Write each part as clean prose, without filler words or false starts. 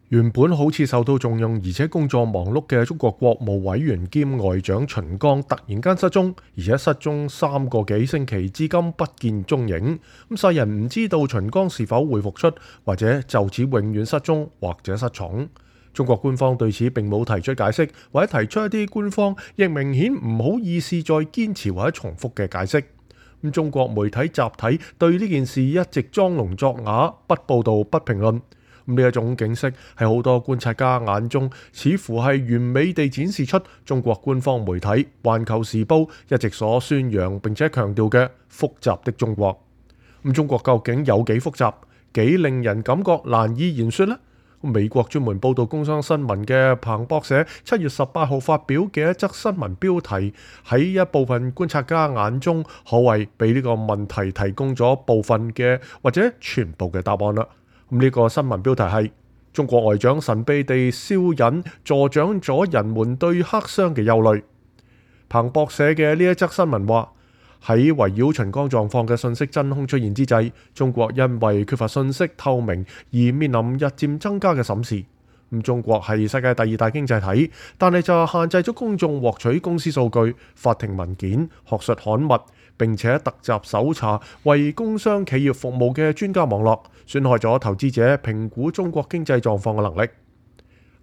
原本好似受到重用而且工作忙碌嘅中國國務委員兼外長秦剛突然間失蹤，而且失蹤3個幾星期，至今不見蹤影。世人唔知道秦剛是否會復出，或者就此永遠失蹤或者失寵。中國官方對此並冇提出解釋，或者提出一啲官方亦明顯唔好意思再堅持或者重複嘅解釋。中國媒體集體對呢件事一直裝聾作啞，不報道不評論。呢一種景色喺好多觀察家眼中，似乎係完美地展示出中國官方媒體《環球時報》一直所宣揚並且強調嘅複雜的中國。中國究竟有幾複雜，幾令人感覺難以言說呢？美國專門報道工商新聞嘅彭博社7月18號發表嘅一則新聞標題，喺一部分觀察家眼中，可謂俾呢個問題提供咗部分嘅或者全部嘅答案啦。呢個新聞標題係中國外長神秘地消隱，助長咗人們對黑箱嘅憂慮。彭博社嘅呢一則新聞話，喺圍繞秦剛狀況嘅信息真空出現之際，中國因為缺乏信息透明而面臨日漸增加嘅審視。中國係世界第2大經濟體，但係就限制咗公眾獲取公司數據、法庭文件、學術刊物，並且突襲搜查為工商企業服務嘅專家網絡，損害咗投資者評估中國經濟狀況嘅能力。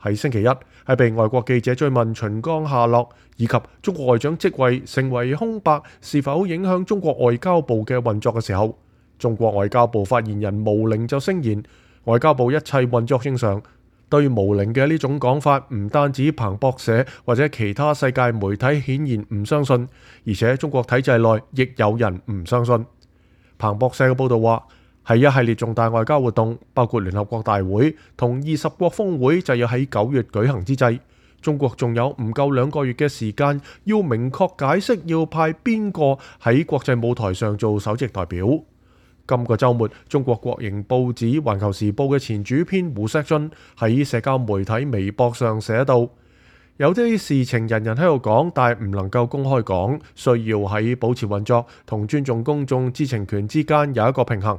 喺星期一，喺被外國記者追問秦剛下落以及中國外長職位成為空白是否影響中國外交部嘅運作嘅時候，中國外交部發言人毛寧就聲言，外交部一切運作正常。對毛寧嘅呢種講法，唔單止彭博社或者其他世界媒體顯然唔相信，而且中國體制內亦有人唔相信。彭博社嘅報道話，係一系列重大外交活動，包括聯合國大會同20國峰會就要喺9月舉行之際，中國仲有唔夠2個月嘅時間，要明確解釋要派邊個喺國際舞台上做首席代表。今個週末，中國國營報紙《環球時報》嘅前主編胡錫進喺社交媒體微博上寫道：有啲事情人人喺度講，但係唔能夠公開講，需要喺保持運作同尊重公眾知情權之間有一個平衡。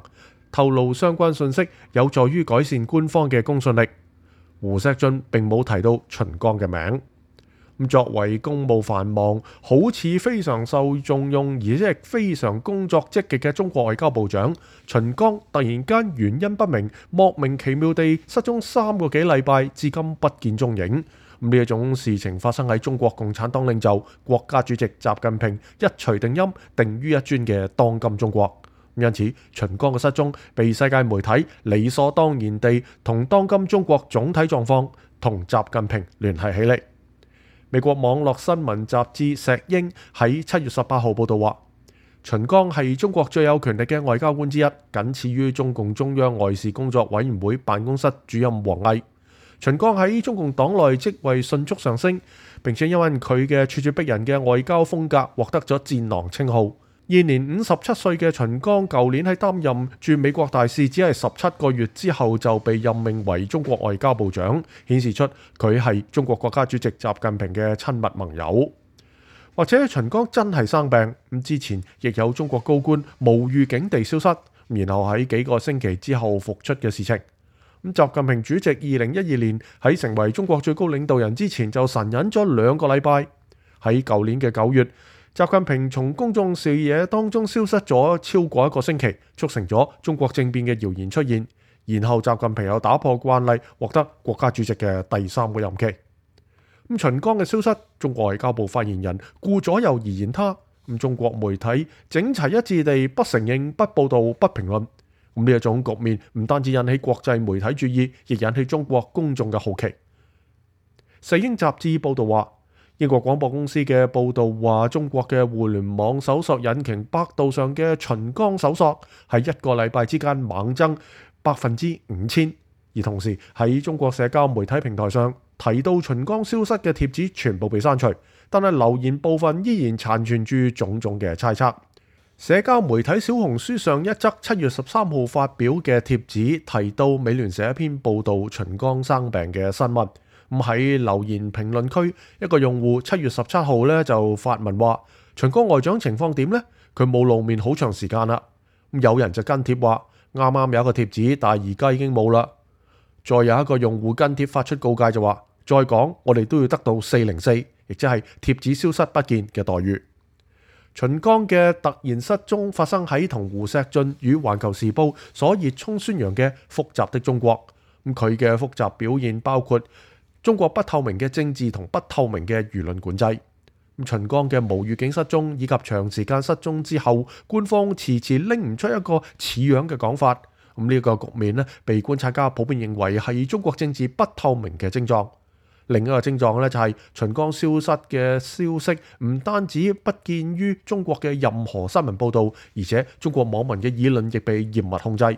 透露相關信息有助於改善官方嘅公信力。胡錫進並冇提到秦剛嘅名。作為公務繁忙、好似非常受重用，而且非常工作積極嘅中國外交部長秦剛，突然間原因不明、莫名其妙地失蹤3個幾禮拜，至今不見蹤影。呢一種事情發生喺中國共產黨領袖、國家主席習近平一錘定音、定於一尊嘅當今中國。因此，秦剛嘅失蹤被世界媒體理所當然地同當今中國總體狀況同習近平聯繫起嚟。美國網絡新聞雜誌石英喺7月18號報道話，秦剛係中國最有權力嘅外交官之一，僅次於中共中央外事工作委員會辦公室主任王毅。秦剛喺中共黨內職位迅速上升，並且因為佢嘅咄咄逼人嘅外交風格，獲得咗戰狼稱號。現年57歲嘅秦剛，舊年喺擔任駐美國大使只係17個月之後就被任命為中國外交部長，顯示出佢係中國國家主席習近平嘅親密盟友。或者秦剛真係生病，咁之前亦有中國高官無預警地消失，然後喺幾個星期之後復出嘅事情。習近平主席2012年喺成為中國最高領導人之前就神隱咗2個禮拜，喺舊年嘅9月。習近平從公眾視野當中消失咗超過1個星期，促成咗中國政變嘅謠言出現。然後習近平又打破慣例，獲得國家主席嘅第3個任期。秦剛嘅消失，中國外交部發言人顧左右而言他。中國媒體整齊一致地不承認、不報道、不評論。呢一種局面唔單止引起國際媒體注意，亦引起中國公眾嘅好奇。世英雜誌報道話，英國廣播公司嘅報道話，中國嘅互聯網搜索引擎百度上嘅秦剛搜索喺1個禮拜之間猛增5000%，而同時喺中國社交媒體平台上提到秦剛消失嘅帖子全部被刪除，但係留言部分依然殘存住種種嘅猜測。社交媒體小紅書上一則7月13號發表嘅帖子提到美聯社一篇報道秦剛生病嘅新聞。喺留言評論區，一個用戶7月17號咧就發文話：秦剛外長情況點呢？佢冇露面好長時間啦。有人就跟帖話：啱啱有一個帖子，但係而家已經冇啦。再有一個用戶跟帖發出告誡就話，再講我哋都要得到404，亦即係貼紙消失不見嘅待遇。秦剛嘅突然失蹤發生喺同胡錫進與環球時報所熱衷宣揚嘅複雜的中國。佢嘅複雜表現包括中國不透明嘅政治同不透明嘅輿論管制。秦剛嘅無預警失蹤以及長時間失蹤之後，官方遲遲拎唔出一個似樣嘅講法。呢個局面呢，被觀察家普遍認為係中國政治不透明嘅症狀。另一個症狀呢，就係秦剛消失嘅消息唔單止不見於中國嘅任何新聞報導，而且中國網民嘅議論亦被嚴密控制。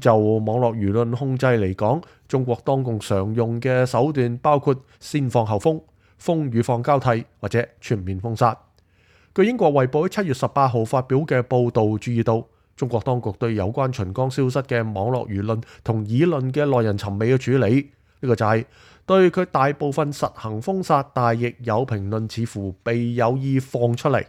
就網絡輿論控制嚟講，中國當局常用嘅手段包括先放後封、封與放交替或者全面封殺。據英國衛報喺7月18號發表嘅報導注意到，中國當局對有關秦剛消失嘅網絡輿論同議論嘅耐人尋味嘅處理，呢個就係對佢大部分實行封殺，但亦有評論似乎被有意放出嚟。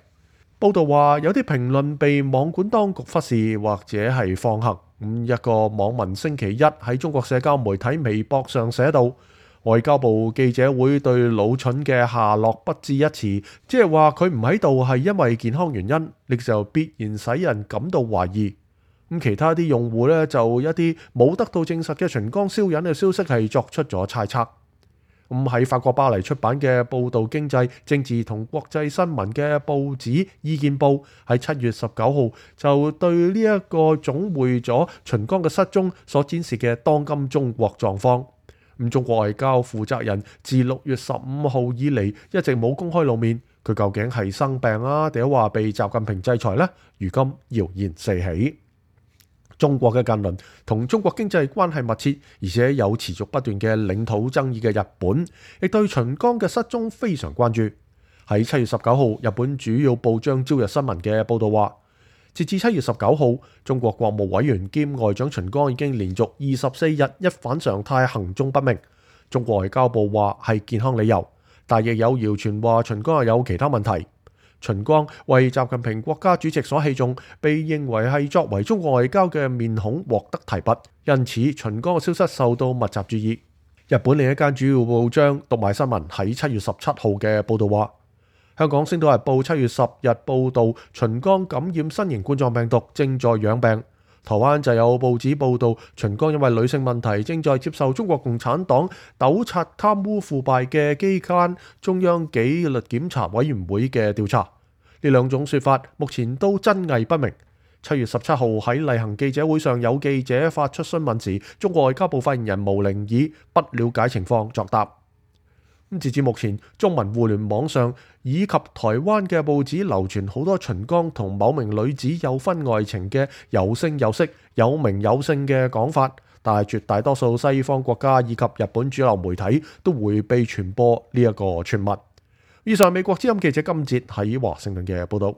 報道話有啲評論被網管當局忽視或者係放行。一個網民星期一喺中國社交媒體微博上寫道，外交部記者會對老蠢嘅下落不置一詞，即係話佢唔喺度係因為健康原因，呢就必然使人感到懷疑。其他啲用戶呢，就一啲冇得到證實嘅秦剛消隱嘅消息係作出咗猜測。喺法國巴黎出版嘅報導經濟、政治同國際新聞嘅報紙意見報喺7月19號就對呢一個總匯咗秦剛嘅失蹤所展示嘅當今中國狀況。中國外交負責人自6月15號以嚟一直冇公開露面，佢究竟係生病啊，定係話被習近平制裁呢？如今謠言四起。中國嘅近鄰同中國經濟關係密切，而且有持續不斷嘅領土爭議嘅日本，亦對秦剛嘅失蹤非常關注。喺7月19號，日本主要報章朝日新聞嘅報導話，截至7月19號，中國國務委員兼外長秦剛已經連續24日一反常態行蹤不明。中國外交部話係健康理由，但亦有謠傳話秦剛有其他問題。秦剛為習近平國家主席所器重，被認為係作為中國外交嘅面孔獲得提拔，因此秦剛嘅消失受到密集注意。日本另一間主要報章讀賣新聞喺7月17號嘅報導話，香港星島日報7月10日報導秦剛感染新型冠狀病毒，正在養病。台灣就有報紙報導秦剛因為女性問題，正在接受中國共產黨糾察貪污腐敗嘅機關中央紀律檢查委員會嘅調查。呢兩種說法目前都真偽不明。7月17號喺例行記者會上，有記者發出詢問時，中國外交部發言人毛寧以不了解情況作答。截至目前，中文互聯網上以及台灣嘅報紙流傳好多秦剛同某名女子有婚外情嘅有聲有色、有名有姓嘅講法，但係絕大多數西方國家以及日本主流媒體都迴避傳播呢一個傳聞。以上美國之音記者金哲喺華盛頓嘅報道。